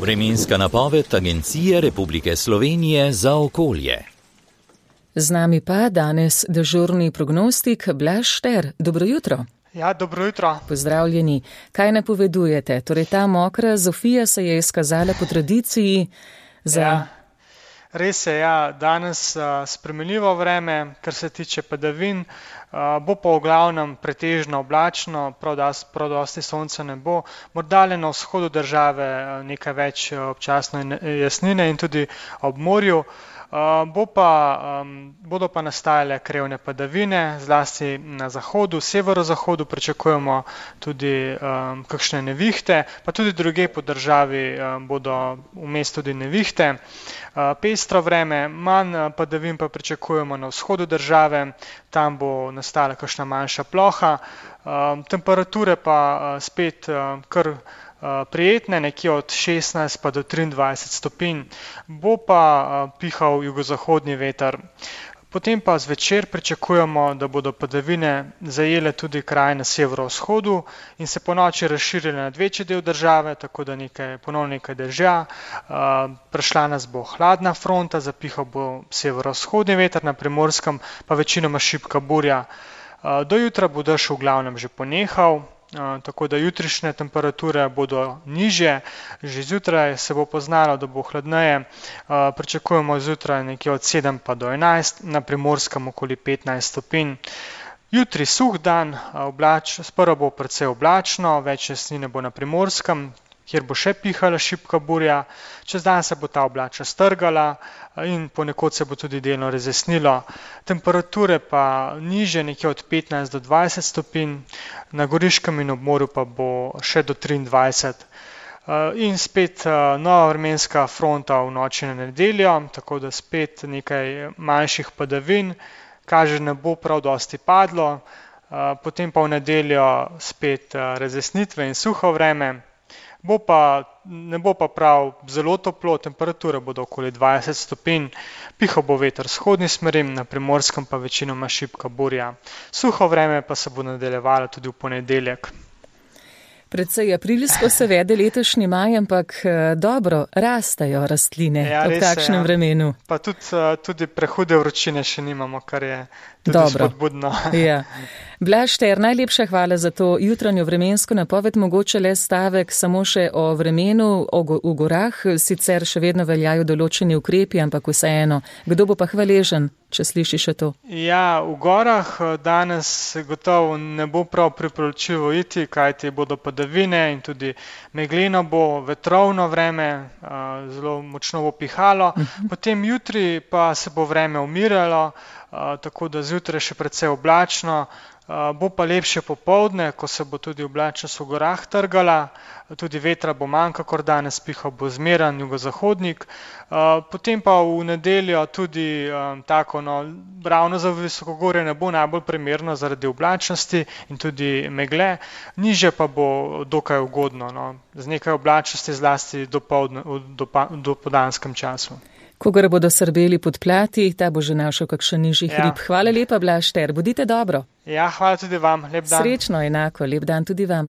Vremenska napoved Agencije Republike Slovenije za okolje. Z nami pa danes dežurni prognostik Blaž Šter. Dobro jutro. Ja, dobro jutro. Pozdravljeni. Kaj napovedujete? Torej, ta mokra Zofija se je izkazala po tradiciji za... Ja, res je, ja. Danes spremenljivo vreme, kar se tiče padavin. Bo pa v glavnem pretežno oblačno, prav dosti sonca ne bo. Morda le na vzhodu države nekaj več občasno jasnine in tudi ob morju. Bodo pa nastajale krevne padavine, zlasti na zahodu, severozahodu pričakujemo tudi kakšne nevihte, pa tudi drugje po državi bodo vmes tudi nevihte. Pestro vreme, manj padavin pa pričakujemo na vzhodu države, tam bo nastala kakšna manjša ploha, temperature pa spet kar prijetne, nekje od 16 pa do 23 stopinj, bo pa pihal jugozahodni veter. Potem pa zvečer pričakujemo, da bodo padavine zajele tudi kraj na severovzhodu in se po noči razširile nad večji del države, tako da ponovno nekaj dežja. Prišla nas bo hladna fronta, zapihal bo severovzhodni veter, na Primorskem pa večinoma šibka burja. Do jutra bo dež v glavnem že ponehal, tako da jutrišnje temperature bodo nižje, že zjutraj se bo poznalo, da bo hladneje, pričakujemo zjutraj nekje od 7 pa do 11, na Primorskem okoli 15 stopinj. Jutri suh dan, sprva bo precej oblačno, več jasnine bo na Primorskem, kjer bo še pihala šibka burja, čez dan se bo ta oblačnost strgala in ponekod se bo tudi delno razjasnilo. Temperature pa nižje, nekje od 15 do 20 stopinj, na Goriškem in ob morju pa bo še do 23. In spet nova vremenska fronta v noči na nedeljo, tako da spet nekaj manjših padavin, kaže ne bo prav dosti padlo, potem pa v nedeljo spet razjasnitve in suho vreme. Ne bo pa prav zelo toplo, temperature bodo okoli 20 stopinj, pihal bo veter vzhodni smeri, na Primorskem pa večinoma šibka burja. Suho vreme pa se bo nadaljevalo tudi v ponedeljek. Predvsej aprilsko se vede letošnji maj, ampak dobro, rastejo rastline ob takšnem vremenu. Pa tudi prehude vročine še nimamo, kar je tudi spodbudno. Ja. Blaž Šter, najlepša hvala za to jutranjo vremensko napoved, mogoče le stavek samo še o vremenu v gorah, sicer še vedno veljajo določeni ukrepi, ampak vseeno, kdo bo pa hvaležen, če sliši še to? Ja, v gorah danes gotovo ne bo prav priporočljivo iti, kajti bodo padavine in tudi megleno bo, vetrovno vreme, zelo močno bo pihalo, potem jutri pa se bo vreme umiralo, tako da zjutraj še precej oblačno, bo pa lepše popoldne, ko se bo tudi oblačnost v gorah trgala, tudi vetra bo manj, kakor danes, pihal bo zmeren jugozahodnik, potem pa v nedeljo tudi tako, ravno za visokogorje ne bo najbolj primerno zaradi oblačnosti in tudi megle, nižje pa bo dokaj ugodno, z nekaj oblačnosti zlasti v dopoldanskem času. Kogar bodo srbeli pod plati, ta bo že našel kakšen nižji hrib. Hvala lepa, Blaž Šter, bodite dobro. Ja, hvala tudi vam, lep dan. Srečno, enako, lep dan tudi vam.